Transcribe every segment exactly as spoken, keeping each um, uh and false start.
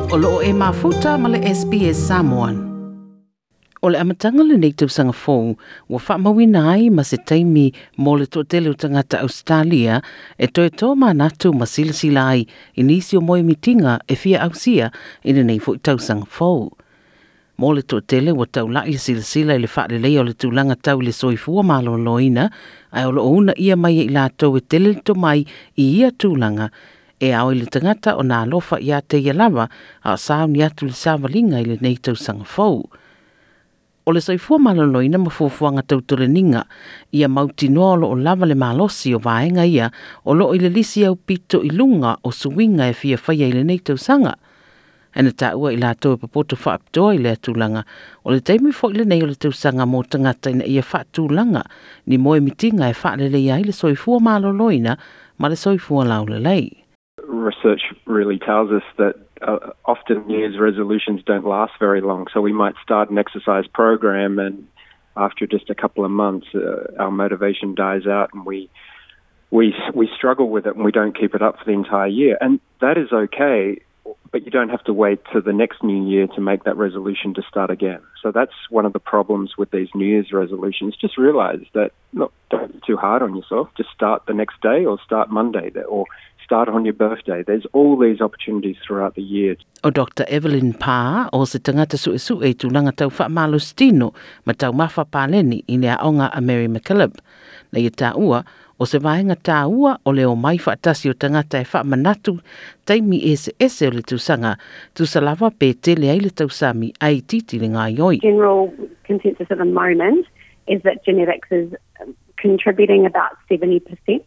O loo e mafuta ma le S B S Samoan. O le amataga lenei tausaga fou, ua faamauina ai ma se taimi mo le toatele o tagata Australia e toe tō manatu ma silasila ai i nisi o moemitiga e fia ausia i lenei foi tausaga fou. Mo le toatele ua taulai le silasila i le faaleleia o le tulaga tau i le soifua maloloina, ae o loo una ia mai e i latou e tele le tomai i ia tulaga, e ao i le tagata o nā alofa ia te ia lava, a o sauni atu le savaliga i lenei tausaga fou. O le soifua maloloina ma fuafuaga tautoleninga, ia mautinoa o loo lava le malosi o vaega ia o loo i le lisi au pito i luga o suiga e fia faia i lenei tausaga. E na taua i latou e popoto faapitoa i lea tulaga, o le taimi foi lenei o le tausaga mo tagata ina ia faatulaga ni moemitiga e faaleleia ai le soifua maloloina ma le soifua laulelei. Research really tells us that uh, often New Year's resolutions don't last very long. So we might start an exercise program and after just a couple of months, uh, our motivation dies out and we, we, we struggle with it and we don't keep it up for the entire year. And that is okay, but you don't have to wait to the next new year to make that resolution to start again. So that's one of the problems with these New Year's resolutions. Just realize that, look, don't be too hard on yourself. Just start the next day or start Monday or start on your birthday. There's all these opportunities throughout the year. O Doctor Evelyn Parr o se tagata suesue i tulaga tau faamalositino ma taumafa paleni i le aoga a Mary MacKillop. Na ia taua, o se vaega tāua o le o mai faatasi o tagata e faamanatu taimi ese ese o le tausaga, tusa lava pe tele ai le tausami ai titi le ngaioi. General consensus at the moment is that genetics is contributing about seventy percent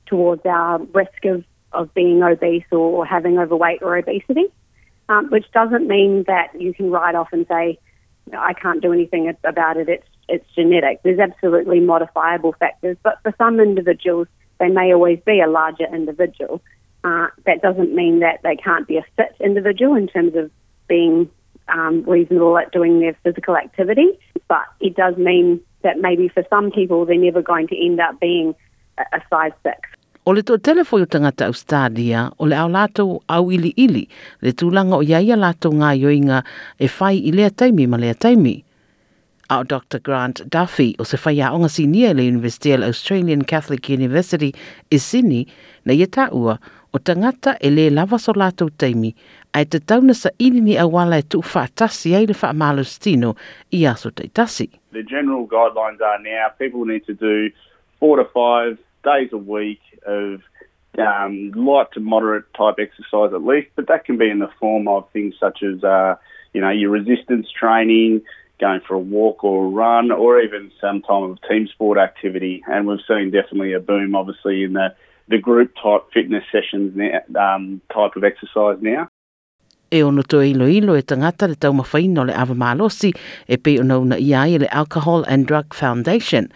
towards our risk of, of being obese or having overweight or obesity, um, which doesn't mean that you can write off and say, I can't do anything about it, it's, it's genetic. There's absolutely modifiable factors, but for some individuals, they may always be a larger individual. Uh, that doesn't mean that they can't be a fit individual in terms of being um, reasonable at doing their physical activity, but it does mean that maybe for some people, they're never going to end up being a, a size six. O le toatele foi o tagata Australia, o le au latou au ili ili, le tulaga o ia ia latou ngaioiga e fai i lea taimi ma lea taimi. A o Doctor Grant Duffy o se whaiaonga sinia le University o Australian Catholic University i Sydney, na ia taua o tagata e le lava so latou taimi, ae te tauna sa ili ni awala e tuu faatasi ai le faamalositino i aso taitasi. The general guidelines are now people need to do four to five days a week of um, light to moderate type exercise at least, but that can be in the form of things such as, uh, you know, your resistance training, going for a walk or a run, or even some type of team sport activity. And we've seen definitely a boom, obviously, in the, the group type fitness sessions now, um, type of exercise now. E ono toe ilo ilo e tangata le taumafaiina o le ava malosi e pei ona una ia ai le Alcohol and Drug Foundation.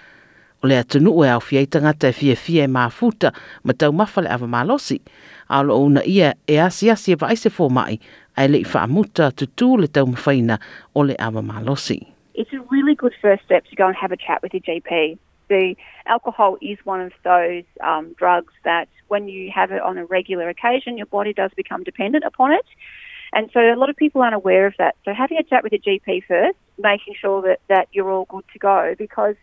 O le atunuu e aofia ai tagata e fiafia e mafuta ma taumafa le ava malosi. A o loo una ia e asiasi e vaai se fomai, ae le i faamuta tutū le taumafaina o le ava malosi. It's a really good first step to go and have a chat with your G P. The alcohol is one of those um, drugs that when you have it on a regular occasion, your body does become dependent upon it. And so a lot of people aren't aware of that. So having a chat with your G P first, making sure that, that you're all good to go, because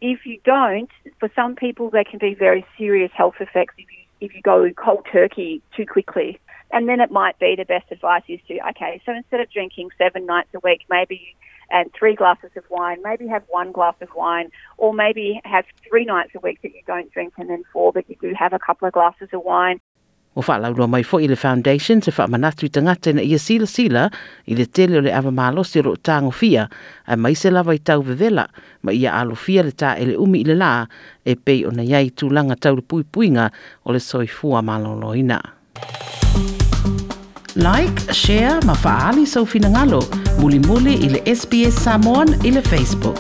if you don't, for some people there can be very serious health effects if you, if you go cold turkey too quickly. And then it might be the best advice is to, okay, so instead of drinking seven nights a week, maybe and three glasses of wine, maybe have one glass of wine, or maybe have three nights a week that you don't drink and then four that you do have a couple of glasses of wine. O whaalaurua mai foi i le foundation se whaamanatu i tangata ina ia sila sila i le tele o le ava malosi o loo tāgofia ae mai se lava i tau vevela ma ia alofia le tā ele umi i le lā e pei ona iai tulaga tau le puipuiga o le soifua maloloina. Like, share ma faali sau finagalo mulimuli i le S B S Samoan i le Facebook.